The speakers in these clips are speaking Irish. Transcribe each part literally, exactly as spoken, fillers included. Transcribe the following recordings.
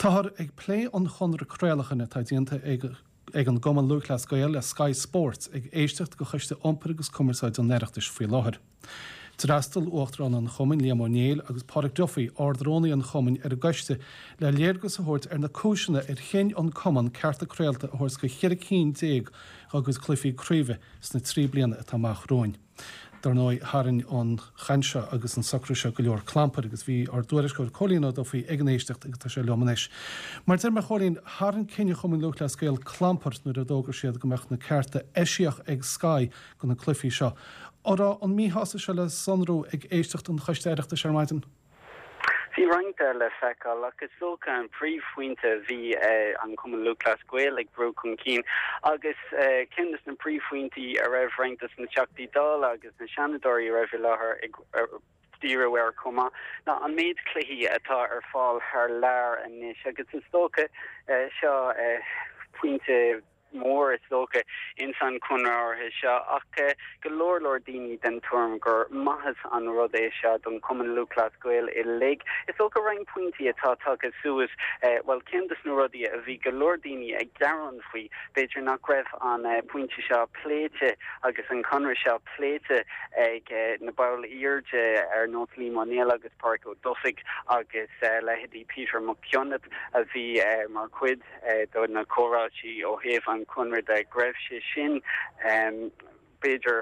Táthar ag plé an chonradh craolacháin atá déanta ag ag an gCumann Lúthchleas Gael le Sky Sports ag éisteacht de Choiste Iompair agus Cumarsáide an Oireachtais faoi láthair. D'fhreastail Uachtarán an Chumainn Liam Ó Néill agus Páraic Duffy Ard-Rúnaí an Chumainn ar an gcoiste le léargas a thabhairt ar na cúiseanna ar chinn an Cumann cearta craolta a thabhairt go cheithre cinn déag agus cluichí craoibhe sna trí bliana atá amach romhainn. Dar ndóigh tharraing an chaint seo agus an socrú seo go leor clampair agus bhí ár dtuairisceoir Cóilín Ó Dufaigh ag an éisteacht agus tá sé liom anois. Mar deir mé Chóilín tharraing cinneadh Chumann Lúthchleas Gael clampar nuair a d'fhógair siad go mbeadh na cearta eisiach ag Sky do na cluichí seo. An raibh an míshásamh seo le sonrú ag éisteacht an Choiste Oireachtais ar maidin? Bhí roinnt le feiceáil ach is dócha an príomhphointe bhí an Cumann Lúthchleas Gael ag brú chun cinn agus ceann de na príomhphointí a raibh roinnt de na Teachtaí Dála agus na Seanadóirí a raibh i láthair ag díriú air chomh maith ná an méid cluichí atá ar fáil thar lear anois agus is dócha seo pointe mór is dócha ins an chonradh seo ach go leor leor daoine den tuairim gur maitheas an rud é seo don Chumann Lúthchleas Gael uilig. Is dócha roinnt pointí atá tagtha suas well ceann de na rudaí a bhí go leor daoine ag gearán faoi b'fhéidir nach raibh an pointe seo pléite agus an conradh seo pléite ag na baill airde ar nós Liam Ó Néill agus Páraic Ó Dufaigh agus leithéidí Peter McKionnet a bhí mar chuid do na comhráití ó thaobh an chonradh de go raibh sé sin um, b'fhéidir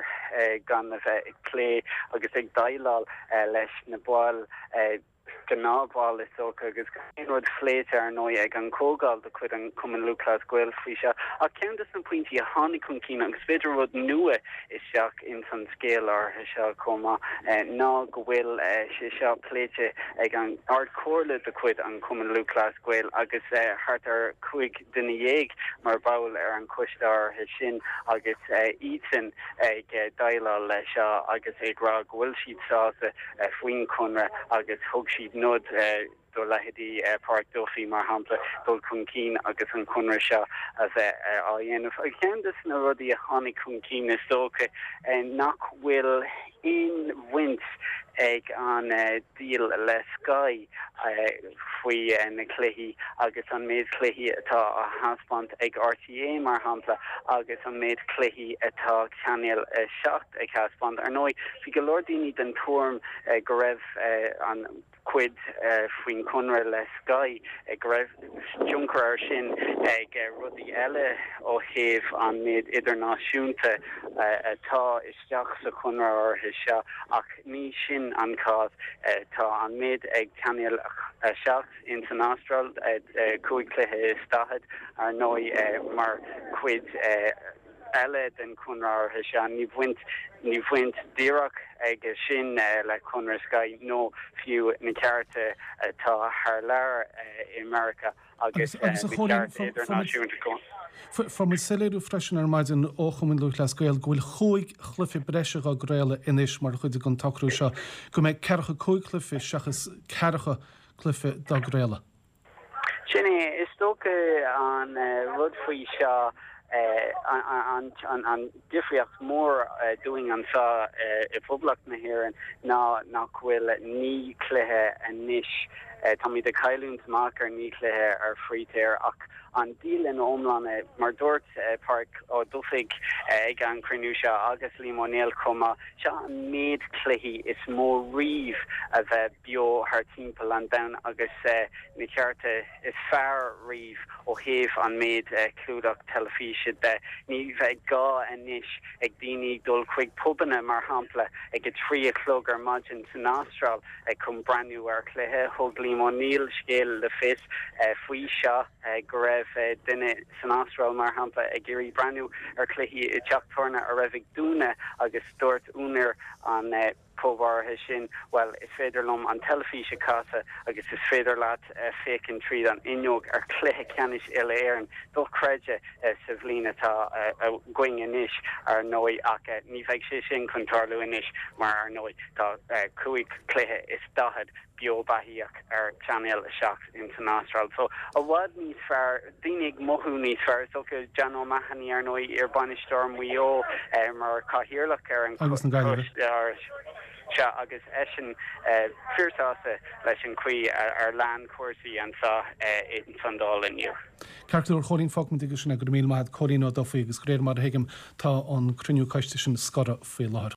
gan a bheith ag plé agus ag déileáil leis na baill gnáthbhaill is dócha agus aon rud pléite ar ndóigh ag an gcomhdháil de chuid an Cumann Lúthchleas Gael faoi seo ach ceann de na pointí a tháinig chun cinn agus b'fhéidir rud nua isteach in san scéal áirithe seo chomh maith ná go bhfuil sé seo pléite ag an Ardchomhairle de chuid an Cumann Lúthchleas Gael agus thart ar cúig duine dhéag mar bhall ar an choiste áirithe sin agus iadsan ag déileáil leis seo agus ag rá go bhfuil siad sásta faoin chonradh agus thug siad nod do leithéidí Páraic Duffy mar shampla dul chun cinn agus an conradh seo a bheith á dhéanamh. Agus ceann de na rudaí a tháinig chun cinn is dócha nach bhfuil aon bhaint ag an deal le Sky faoi na cluichí agus an méid cluichí atá á thaispeáint ag RTÉ mar shampla agus an méid cluichí atá Channel a seacht ag taispeáint. Ar ndóigh bhí go leor daoine den tuairim go raibh an cuid faoin chonradh le Sky go raibh tionchar air sin ag rudaí eile ó thaobh an méid idirnáisiúnta atá isteach sa chonradh áirithe seo ach ní sin an cás tá an méid ag Channel a seacht in san Astráil cúig cluiche is daichead ar ndóigh mar chuid eile den chonradh áirithe seo ní bhaint ní bhaint díreach ag sin le conradh Sky nó fiú na cearta atá thar lear i America agus idirnáisiúnta. Fuair muid soiléiriú freisin ar maidin ó Chumann Lúthchleas Gael go bhfuil cúig chluiche breise á gcraoladh anois mar chuid den tsocrú seo go mbeidh ceathracha cúig cluiche seachas ceathracha cluiche dá gcraoladh. Sin é is dócha an rud faoi seo an an difríocht mór dúinn anseo i bPoblacht na hÉireann ná nach bhfuil naoi cluiche anois táimid ag cailliúint amach ar naoi cluiche ar free to air ach an deal in iomlán mar dúirt Páraic Ó Dufaigh ag an cruinniú seo agus Liam Ó Néill chomh maith seo an méid cluichí is mó riamh a bheith beo thar timpeall an domhain agus na cearta is fearr riamh ó thaobh an méid clúdach teilifíse de ní bheidh gá anois ag daoine dul chuig pubanna mar shampla ag a trí a chlog ar maidin san Astráil ag chun breathnú ar chluiche thug Liam Ó Néill scéal le fios faoi seo go raibh duine san Astráil mar shampla ag iarraidh breathnú ar chluichí i teach tábhairne a raibh ag dúnadh agus dúirt úinéir an pub áirithe sin well is féidir liom an teilifís a chasadh agus is féidir leat féachaint tríd an fhuinneog ar chluiche ceannais uile Éireann dochreidte sa bhliain atá againn anois ar ndóigh ach ní bheidh sé sin chun tarlú anois mar ar ndóigh tá cúig cluiche is daichead beo beathaíoch ar Channel a seacht in san Astráil. So i bhfad níos fearr daoine ag mothú níos fearr so John O'Mahony ar ndóigh iar-bhainisteoir Mhaigh Eo mar cathaoirleach ar an Agus na Gaillimhe. Sea, agus eisean fíorshásta leis an chaoi ar lean cúrsaí anseo ins an Dáil inniu. Ceart go leor, a Chóilín, fágfaimid aige sin é. Go raibh míle maith agat, Cóilín Ó Dufaigh, agus de réir mar a thuigim tá an cruinniú coiste sin scortha faoi láthair.